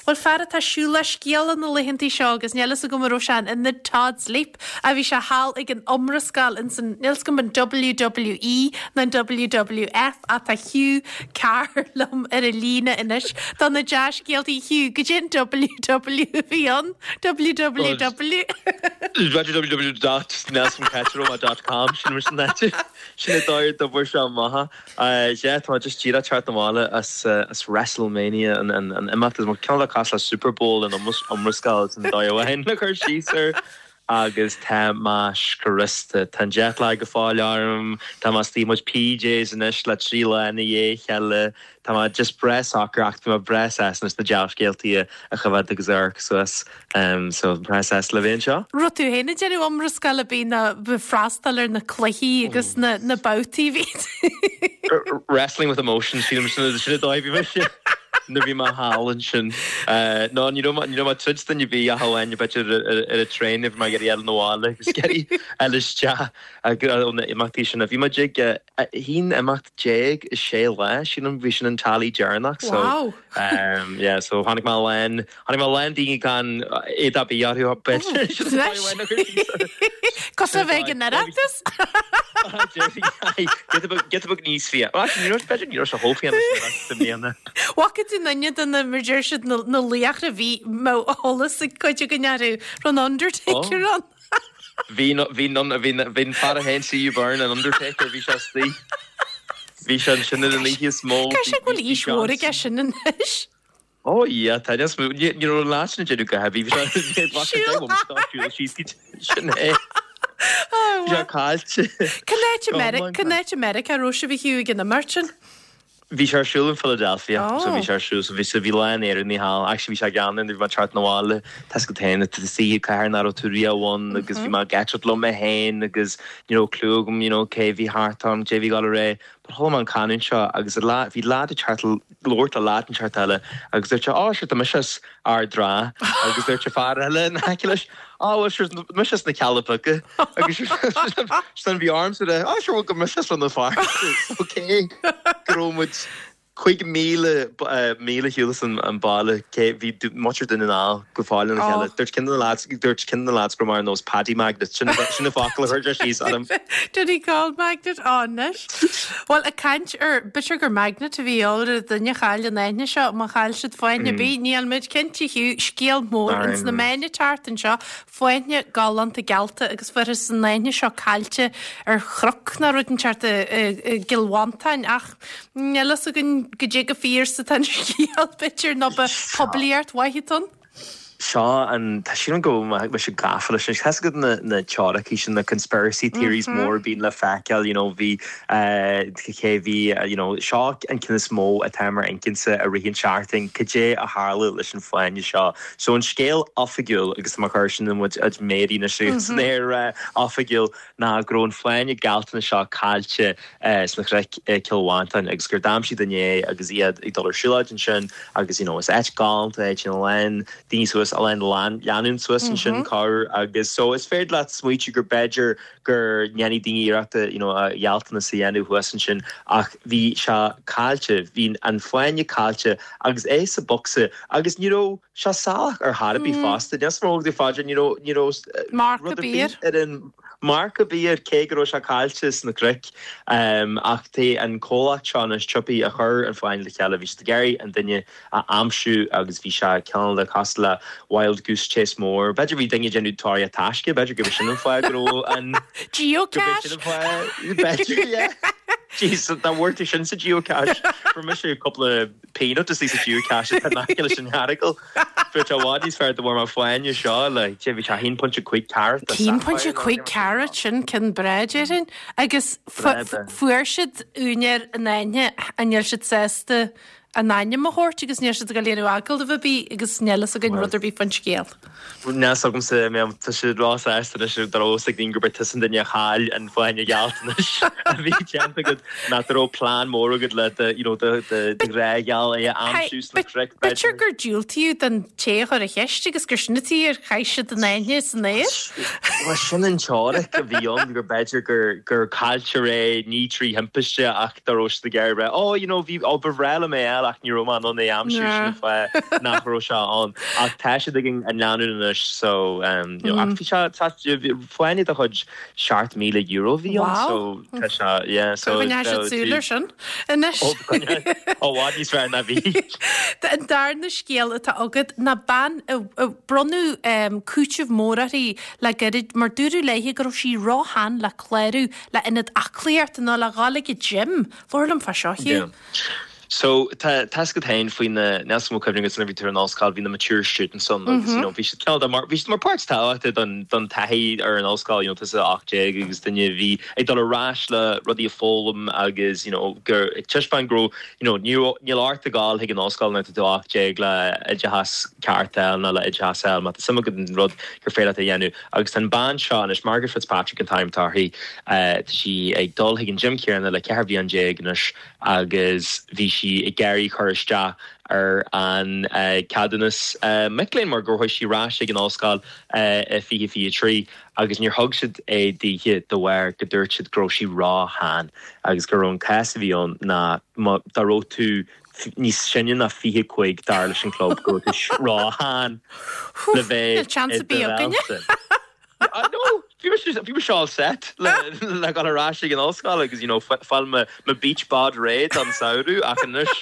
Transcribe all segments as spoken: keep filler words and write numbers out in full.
Bhuel fear atá ag siúl le scéala na laethantaí seo agus níl fhios agam an raibh sé in the Todd's Leap a bhí sé thall ag an iomrascáil in san níl fhios agam an WWE nó an WWF ach tá Hugh Carr liom ar an líne anois do na dea-scéaltaí Hugh go dtí an WW a bhí ann WWW. www dot nelsoncatroma dot com sin mar sin áite sin é dóigh d'obair seo maithe. Yeah tá just díreach teacht abhaile as as WrestleMania an an an imeacht is mar ceann le cosúil le Super Bowl an iomrascáil san dóigh amháin le cur síos air agus tá mé scriosta. Tá an jet lag go fóill orm, tá mé istigh i mo PJs anois le trí lá ina dhiaidh a chéile, tá mé just breá socair ach tá mé breá sásta anois na dea-scéaltaí a choimhéad agus a amharc suas so breá sásta le bheith anseo. Raibh tú féin ag déanamh iomrascáil a bhí na freastal ar na cluichí agus na na babhtaí bhí. Wrestling with emotion sílim sin sin a dóigh bhí mise. Nuair bhí mé thall ansin. No ní raibh ní raibh mé troid duine ar bith ach amháin b'fhéidir ar an traein bhí mé ag iarraidh fháil abhaile agus ag iarraidh fháil isteach ó na imeachtaí sin. Bhí muid ag haon imeacht déag i sé lá, sílim bhí sin an tally deireanach so Wow. um, yeah, so tháinig mé lán tháinig mé lán daoine gan éad ar bith orthu b'fhéidir. Sin an dóigh amháin a chur síos air. Cosúil le bheith ag an Oireachtas? Giota beag níos fia. Well, actually, ní raibh b'fhéidir ní raibh sé chomh fiáin leis an Oireachtas i mbliana. Bhfaca tú duine de na mar deir siad na na laochra bhí mbeadh eolas ag cuid againn orthu raibh an Undertaker ann. Bhí bhí bhí bhí an fear a haon C.U. Byrne an Undertaker bhí sé istigh. Bhí sé ansin ar an oíche is mó. Cá sé go bhfuil aois mhór aige sin anois. Ó yeah, tá níos mó ní ní raibh an lá sin ag déanamh go heavy bhí sé siúl síos sin é. Bhí sé caillte. Cén áit i Meri- cén áit i Meiriceá raibh sibh a Hugh ag an imirt sin? Bhí sé ar siúl in Philadelphia Oh. so bhí sé ar siúl so bhí so bhí lán Éireannaigh thall actually bhí sé gean bhí mé teacht abhaile tá go tain tá sí cathair nach raibh tú riamh ann agus bhí mé ag eitilt liom mé féin agus you know clue agam you know cé bhí thart orm cé bhí gal ré but chuala mé an canúint seo agus a lá bhí lad ag teacht labhairt le lad an teacht eile agus dúirt sé á sure tá mise as Ard an Rátha agus dúirt sé fear eile in aice leis á well sure mise as na Cealla Beaga agus sin bhí arm sa á sure well go mise as na fear okay go raibh muid cúig míle míle shiúl an an baile cé bhí muintir Dhún na nGall go fóill ina chéile. Dúirt ceann de na lads dúirt ceann de na lads go mar nós Paddy Magnet sin sin na focail a chuir sé síos orm. Did he call magnet anois? Well ag caint ar b'fhéidir gur magnet a bhí ar duine chaill an aithne seo má chaill siad fáinne ar bith níl muid cinnte Hugh scéal mór ins na meáin an tseachtain seo fáinne galánta gealta agus fuarthas an aithne seo caillte ar chnoc ná rud inteacht i gCill Mhantáin ach níl fhios againn go dtí go fíor sa tan scéal b'fhéidir nó ba poiblíocht mhaith ann. Seo an tá sin go me se gafa leis sin go na na teoiricí sin na conspiracy theories mór bíonn le feiceáil you know bhí cé bhí you know seo an ceann is mó atá mar incinse a rith an seachtain cad é a tharla leis an fáinne seo. So an scéal oifigiúil agus mar chuir sin muid a méirí na siú san air oifigiúil ná go raibh an fáinne galánta seo caillte sna cnoic Cill Mhantáin agus gur d'aimsigh duine é agus iad ag dul ar siúlóid ansin agus you know is áit galánta é sin lán daoine suas a lán lánúin suas ansin car agus so is féidir leat smaoitiú gur b'fhéidir gur ndéanfaidh daoine iarracht you know a ghealltanas a dhéanamh thuas ansin ach bhí sé caillte bhí an fáinne caillte agus é sa bocsa agus ní raibh sé salach ar chor ar bith fosta Níos mó de fáidir ní raibh ní raibh Marc rud a ar bith bith. ar an marc ar bith ar cé go raibh sé caillte sna cnoic um, ach té an comhlacht seo na siopaí a chur an fáinne le chéile bhí siad ag iarraidh an duine a aimsiú agus bhí sé ceann le cosúil le Wild Goose Chase mór. B'fhéidir bhí duine déanamh tóraíocht taisce, b'fhéidir go sin an fáth go raibh an Geocache? sin an fáth B'fhéidir yeah. Jeez, dá bhfuair tú sin sa geocache Fuair mise cúpla peanut is sa geocache tá leis an earagail. Fu sé bhád níos fearr do bhar mar fáinne seo le sé bhí sé haon pointe cúig carat Haon pointe cúig carat sin ceann breá déarfainn agus Breá de. fuair siad úinéir an aithne an níl siad sásta an ainm a thabhairt agus níl siad ag léiriú agallamh ar bith agus níl fhios againn rud ar bith faoin scéal. Níl a fhios agamsa mé tá siad róshásta anois dá raibh a fhios ag daoine gurb é tusa an duine a chaill an fáinne gealtanais a bhí déanta agat ná dá raibh plean mór agat le do you know do do do ghrá gheal é a aimsiú sna cnoic B'fhéidir gur diúltaíodh don té a chuir an cheist agus gur sin an tuige ar chaith siad an fháinne san aer. Bhuel sin an teoiric a bhí ann gur b'fhéidir gur gur cailltear é ní trí thimpiste ach dá raibh siad ag iarraidh rá oh you know bhí ó ba bhreá liom é a fháil ach ní raibh mé in ann é a aimsiú sin an fáth nach raibh sé ann ach tá siad ag an leanúint anois so um, you know, ach bhí sé tá fáinne de chuid seacht míle euro bhí ann so tá sé yeah so Coinneoidh siad súil air sin anois. Ó i bhfad níos fearr ná bhí. An darna scéal atá agat ná bean a a bronnadh um, cúiteamh mór uirthi le gairid mar dúradh léi go raibh sí róshean le clárú le ionad aclaíochta nó le dhul ag an gym. Labhair liom fá seo Yeah. So tá tá a fhios agat féin faoi na níos mó cuimhne agus nuair a bhí tú ar an ollscoil bhí na mature students ann agus you know bhí siad cineál de mar bhí siad mar páirt tábhachtach don don taithí ar an ollscoil you know tusa ocht déag agus duine a bhí ag dul ar ais le rudaí a fhoghlaim agus you know gur ag taispeáint go raibh you know ní raibh níl ort a ghabháil chuig an ollscoil nuair atá tú ocht déag le oideachas ceart a fháil nó le oideachas a fháil má tá suim agat an rud gur féidir leat a dhéanamh agus tá an bean seo anois Margaret Fitzpatrick an t-ainm atá uirthi uh, tá sí ag dul chuig an gym céanna le ceithre bhliain déag anois agus bhí sí ag iarraidh cur isteach ar an uh, ceadúnas uh, mic léinn mar gur chuaigh sí ar ais ag an ollscoil uh, fiche fiche trí agus níor thug siad é dithe de bharr go dúirt siad go raibh sí róshean agus go raibh an cás a bhí ann ná má dá raibh tú níos sine ná fiche cúig dar leis an club go raibh tú róshean le bheith Níl chance i ar bith againne. do Ah, no, bhí bhí mé all set le le dhul ar ais ag an ollscoil agus you know fáil mo mo beach bod réidh an samhradh ach anois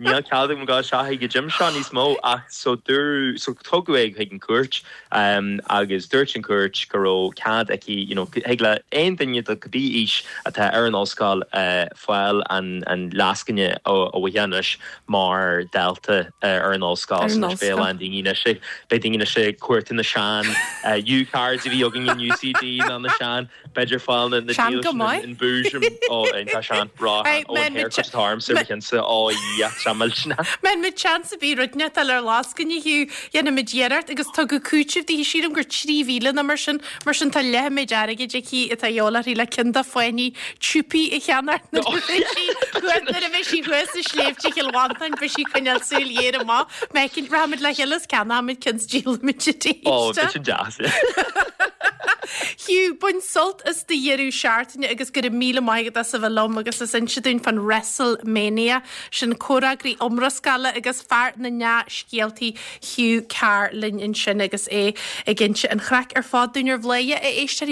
níl cead agam dul isteach ag an gym seo níos mó ach so dúr so tugadh é chuig an cúirt um, agus dúirt an cúirt go raibh cead aici you know, thig le aon duine de cibé aois atá ar an ollscoil uh, fáil an an lascaine ó ó anois mar dalta uh, ar an ollscoil Ar an so anois beidh ollscoil. an daoine sé beidh daoine sé cuairt na sean uh, U-cards a bhí againn in UCD ná na sean b'fhéidir fáil na na Sean deal go sin maith. in búism ó tá sean rá Hey, ó men, haircut arm sa cinsa ó samil sinna. Men mit chance bí rudne tal ar lascaine Hugh dhéanfaimid iarracht agus tugadh cúiteamh di sílim gur trí mhíle nó mar sin mar sin tá leathmhéid airgid aici atá eolaí le ceann de fáinní siopaí a cheannach nuair a bheidh sí nuair a bheidh sí thuas i sléibhte Chill Mhantáin beidh sí ag coinneáil súil ghéar amach Mecin raimid le chéile ceannóimid ceann is díolfaimid Ó sin deas. Hugh bain sult as do dheireadh seachtaine agus go raibh míle maith agat as a bheith liom agus as inse dúinn fan WrestleMania sin comhfhreagraí iomrascála agus fear na ndea-scéaltaí Hugh Carr linn ansin agus é ag inse an chraic ar fad dúinn ar Bhladhaire a éisteoirí